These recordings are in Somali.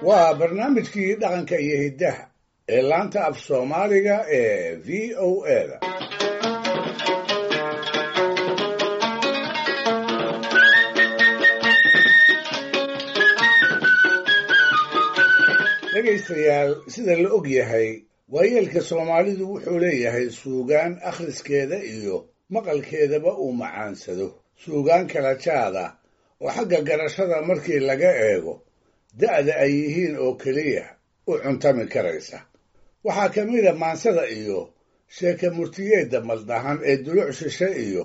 Waa barnaamijkii dhaqanka iyo hiddaha ee laanta af Soomaaliga ee VOA-da. Dhegaystayaal, sida la og yahay, waayeelka Soomaalidu wuxuu leeyahay suugaan akhriskeeda iyo maqalkeedaba uu macaansado, suugaan kala jaada oo xagga garashada markii laga eego da'da ay yihiin oo keliya u cuntami karaysa. Waxaa ka mid a maansada iyo sheeke murtiyeedda maldahan ee duluc shishe iyo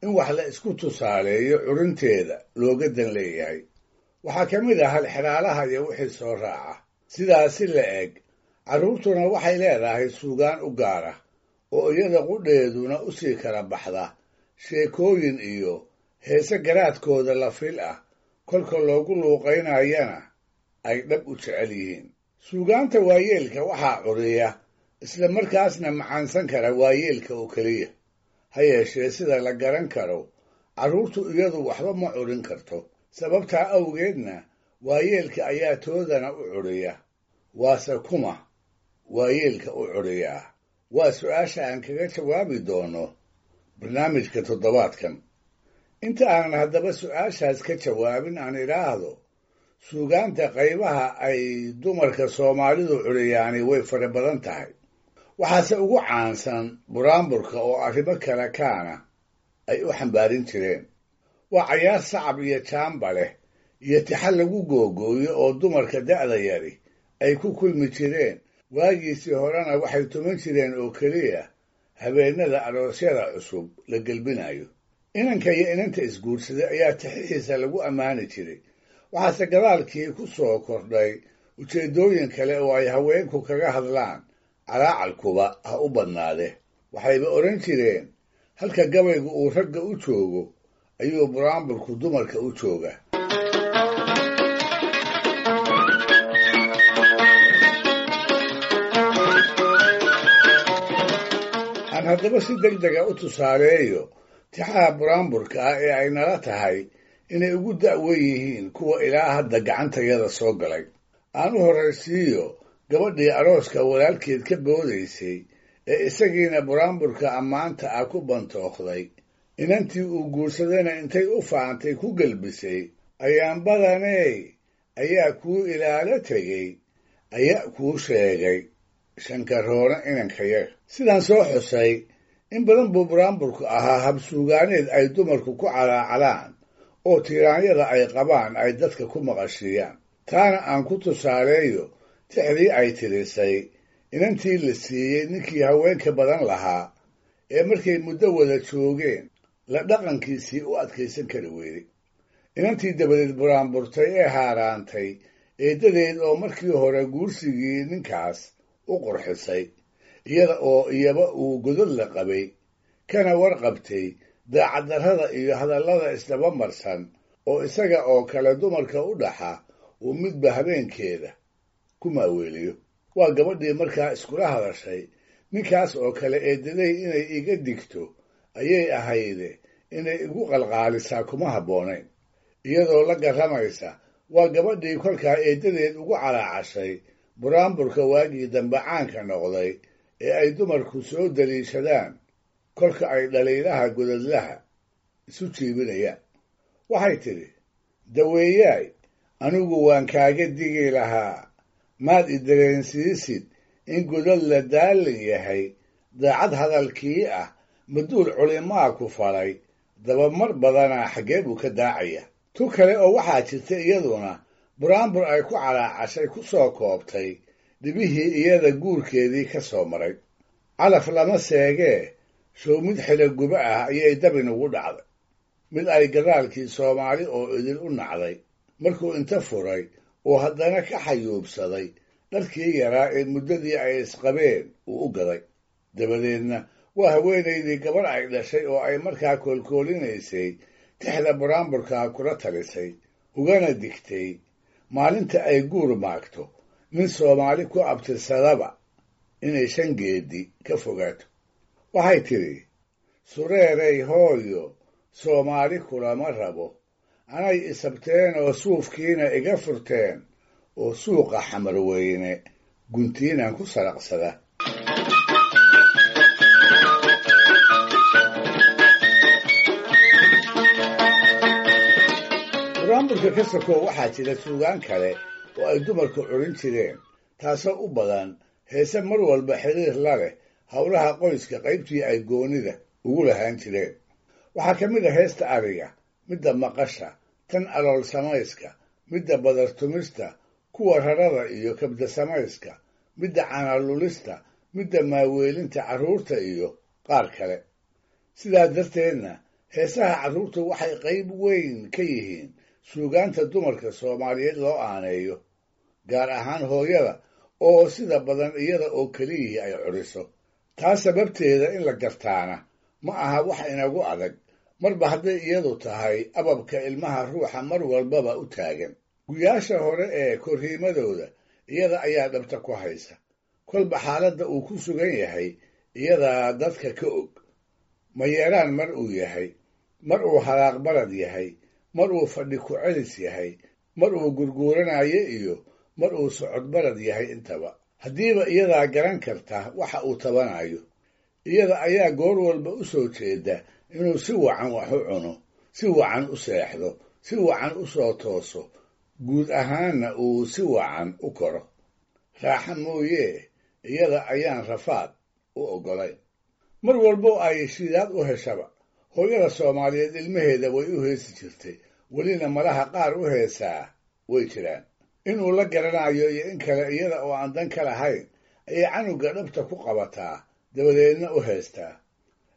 in wax la isku tusaaleeyo curinteeda looga dan leeyahay. Waxaa ka mid ah halxidhaalaha iyo wixii soo raaca. Sidaasi la eg, carruurtuna waxay leedahay suugaan u gaara oo iyada qudheeduna u sii kala baxda sheekooyin iyo heese garaadkooda la fil ah, kolka loogu luuqaynayana ay dhab u jecel yihiin. Suugaanta waayeelka waxaa curiya isla markaasna macaansan kara waayeelka oo keliya. Ha yeeshee, sida la garan karo, carruurtu iyadu waxba ma curin karto. Sababtaa awgeedna waayeelka ayaa toodana u curiya. Waase kuma waayeelka u curiyaa? Waa su'aasha aan kaga jawaabi doono barnaamijka toddobaadkan. Inta aanan haddaba su'aashaas ka jawaabin, aan idhaahdo suugaanta qaybaha ay dumarka Soomaalidu curiyaani way fara badan tahay. Waxaase ugu caansan buraanburka oo arrimo kale kaana ay u xambaarin jireen. Waa cayaar sacab iyo jaamba leh iyo tixa lagu googooyo oo dumarka da'da yari ay ku kulmi jireen. Waagiisii horena waxay tuman jireen oo keliya habeennada aroosyada cusub la gelbinayo. Inanka iyo inanta isguursaday ayaa tixihiisa lagu ammaani jiray. Waxaase gadaalkii ku soo kordhay ujeeddooyin kale oo ay haweenku kaga hadlaan, calaacalkuba ha u badnaade. Waxayba odhan jireen halka gabaygu uu ragga u joogo ayuu buraanburku dumarka u jooga. Aan haddaba si deg dega u tusaaleeyo tixaha buraanburka ah ee ay nala tahay inay ugu da'wen yihiin kuwa ilaa hadda gacantayada soo galay. Aan u horraysiiyo gabadhii arooska walaalkeed ka boodaysay ee isagiina buraanburka ammaanta ah ku bantookday, inantii uu guursadayna intay u faantay ku gelbisay: "Ayaan badaney ayaa kuu ilaalo tegey, ayaa kuu sheegay shankaroona inankayaga." Sidaan soo xusay, in badan buu buraanburku ahaa habsuugaaneed ay dumarku ku calaacalaan oo tiiraanyada ay qabaan ay dadka ku maqashiiyaan. Taana aan ku tusaaleeyo tixdii ay tirisay inantii la siiyey ninkii haweenka badan lahaa ee markay muddo wada joogeen la dhaqankiisii u adkaysan kari weyday. Inantii dabadeed buraanburtay ee haaraantay eeddadeed oo markii hore guursigii ninkaas u qurxisay, iyada oo iyaba uu godad la qabay, kana warqabtay daacaddarrada iyo hadallada isdaba marsan oo isaga oo kale dumarka u dhaxa uu midba habeenkeeda ku maaweeliyo. Waa gabadhii markaa iskula hadashay: "Ninkaas oo kale eeddaday inay iga digto ayay ahayde, inay igu qalqaalisaa kuma habboonayn." Iyadoo la garramaysa waa gabadhii kolkaa eeddadeed ugu calaacashay buraanburka waagii dambe caanka noqday ee ay dumarku soo daliishadaan kolka ay dhaliilaha godadlaha isu jiibinayaan. Waxay tidhi: "Daweeyaay, anigu waan kaaga digi lahaa, maad i dareensiisid in godad la daalin yahay. Daacad hadalkii ah maduul culimaa ku falay, dabamar badanaa xaggee buu ka daacaya?" Tu kale oo waxaa jirta iyaduna buraanbur ay ku calaacashay ku soo koobtay dhibihii iyada guurkeedii ka soo maray. Calaf lama seegee, show mid xilo guba ah ayay dabin ugu dhacday, mid ay gadaalkii Soomaali oo idil u nacday markuu inta furay oo haddana ka xayuubsaday dharkii yaraa ee muddadii ay isqabeen uu u gaday. Dabadeedna waa haweenaydii gabarh ay dhashay oo ay markaa koolkoolinaysay tixda buraanburkaa kula talisay, ugana digtay maalinta ay guur maagto nin Soomaali ku abtirsadaba inay shan geedi ka fogaato. Waxay tidhi: "Sureeray hooyo, Soomaali kulama rabo, anay isabteen oo suufkiina iga furteen. oo suuqa Xamarweyne guntiinan ku saraqsada. Buraanburka ka sokow waxaa jira suugaan kale oo ay dumarku curin jireen, taasoo u badan heese mar walba xiriir la leh howlaha qoyska qaybtii ay goonida ugu lahaan jireen. Waxaa ka mid a heesta ariga, midda maqasha, tan alool samayska, midda badartumista, kuwa rarada iyo kabda samayska, midda canalulista, midda maaweelinta carruurta iyo qaar kale. Sidaa darteedna heesaha carruurtu waxay qayb weyn ka yihiin suugaanta dumarka Soomaaliyeed loo aaneeyo, gaar ahaan hooyada oo sida badan iyada oo keliyihii ay curiso. Taa sababteeda in la gartaana ma aha wax inagu adag, marba hadday iyadu tahay ababka ilmaha ruuxa mar walbaba u taagan. Guyaasha hore ee korriimadooda iyada ayaa dhabta ku haysa, kolba xaaladda uu ku sugan yahay iyadaa dadka ka og. Ma yeeraan mar uu yahay, mar uu halaaq barad yahay, mar uu fadhi ku celis yahay, mar uu gurguuranayo iyo mar uu socod barad yahay intaba. Haddiiba iyadaa garan karta waxa uu tabanayo, iyada ayaa goor walba u soo jeeda inuu si wacan wax u cuno, si wacan u seexdo, si wacan u soo tooso, guud ahaanna uu si wacan u koro. Raaxa mooyee iyada ayaan rafaad u oggolayn. Mar walbo ay shidaad u heshaba, hooyada Soomaaliyeed ilmaheeda way u heesi jirtay, welina malaha qaar u heesaa way jiraan. Inuu la garanayo iyo in kale iyada oo aan dan ka lahayn ayay canuga dhabta ku qabataa, dabadeedna u heestaa.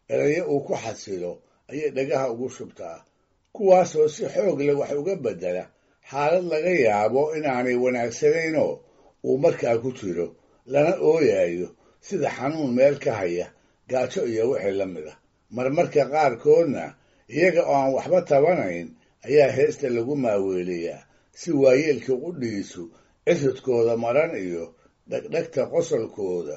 Erayo uu ku xasilo ayay dhagaha ugu shubtaa, kuwaasoo si xoog leh wax uga beddela xaalad laga yaabo inaanay wanaagsanaynoo uu markaa ku jiro, lana ooyayo sida xanuun meel ka haya, gaajo iyo wixii la mid ah. Marmarka qaarkoodna iyaga oo aan waxba tabanayn ayaa heesta lagu maaweeliyaa si waayeelka qudhiisu cisudkooda maran iyo dhegdhegta qosolkooda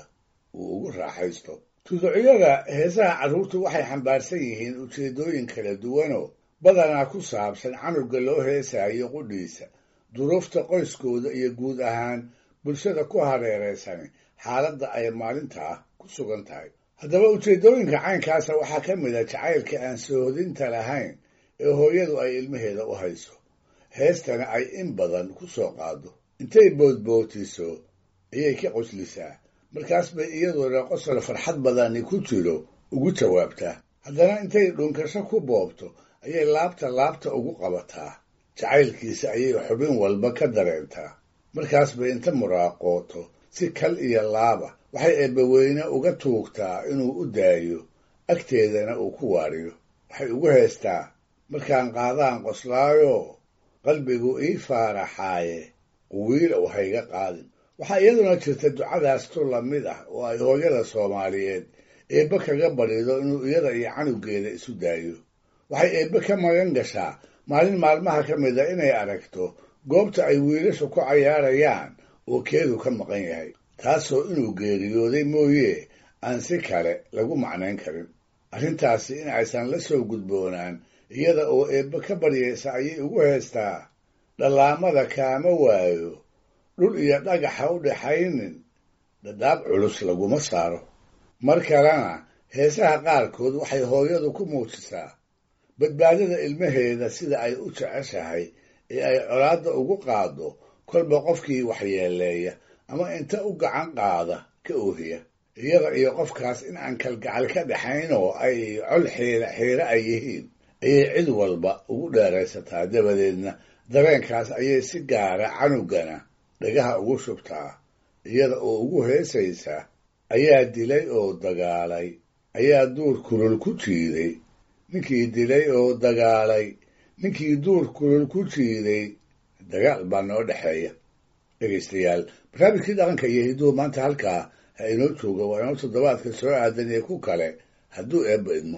uu ugu raaxaysto. Tuducyada heesaha carruurtu waxay xambaarsan yihiin ujeeddooyin kala duwanoo badanaa ku saabsan canuga loo heesaayo qudhiisa, duruufta qoyskooda iyo guud ahaan bulshada ku hareeraysan xaaladda ay maalintaa ku sugan tahay. Haddaba ujeeddooyinka caynkaasa waxaa ka mid a jacaylka aan soohodinta lahayn ee hooyadu ay ilmaheeda u hayso, heestana ay in badan ku soo qaado. Intay boodbootiso ayay ka qoslisaa, markaas bay iyaduna qosol farxad badani ku jiro ugu jawaabtaa. Haddana intay dhunkasho ku boobto ayay laabta laabta ugu qabataa, jacaylkiisa ayay xubin walba ka dareentaa. Markaas bay inta muraaqooto si kal iyo laaba waxay eebbaweyne uga tuugtaa inuu u daayo, agteedana uu ku waariyo. Waxay ugu heestaa markaan qaadaan qoslaayo, qalbigu ii faaraxaaye, quwiilow hayga qaadin. Waxaa iyaduna jirta ducadaas tu la mid ah oo ay hooyada Soomaaliyeed eebbe kaga barido inuu iyada iyo canugeeda isu daayo. Waxay eebbe ka magan gashaa maalin maalmaha ka mid a inay aragto goobta ay wiilashu ku cayaarayaan oo keedu ka maqan yahay, taasoo inuu geeriyooday mooyee aan si kale lagu macnayn karin. Arrintaasi in aysan la soo gudboonaan iyada oo eebbe ka baryaysa ayay ugu heestaa: dhallaamada kaama waayo, dhul iyo dhagaxa u dhaxaynin, dhadhaab culus laguma saaro. Mar kalena heesaha qaarkood waxay hooyadu ku muujisaa badbaadada ilmaheeda sida ay u jeceshahay ee ay colaadda ugu qaaddo kolba qofkii waxyeeleeya ama inta u gacan qaada ka oohiya. Iyada iyo qofkaas in aan kalgacal ka dhaxayn oo ay col xiira xiire ay yihiin ayay cid walba ugu dheeraysataa, dabadeedna dareenkaas ayay si gaara canugana dhagaha ugu shubtaa, iyada oo ugu heesaysa: ayaa dilay oo dagaalay, ayaa duur kulul ku jiiday, ninkii dilay oo dagaalay, ninkii duur kulul ku jiiday, dagaal baa noo dhexeeya. Dhegaystayaal, barnaamijkii dhaqanka iyo hidduhu maanta halkaa ha inoo jooga. Waa inoo toddobaadka soo aadan iyo ku kale hadduu eebba idmo.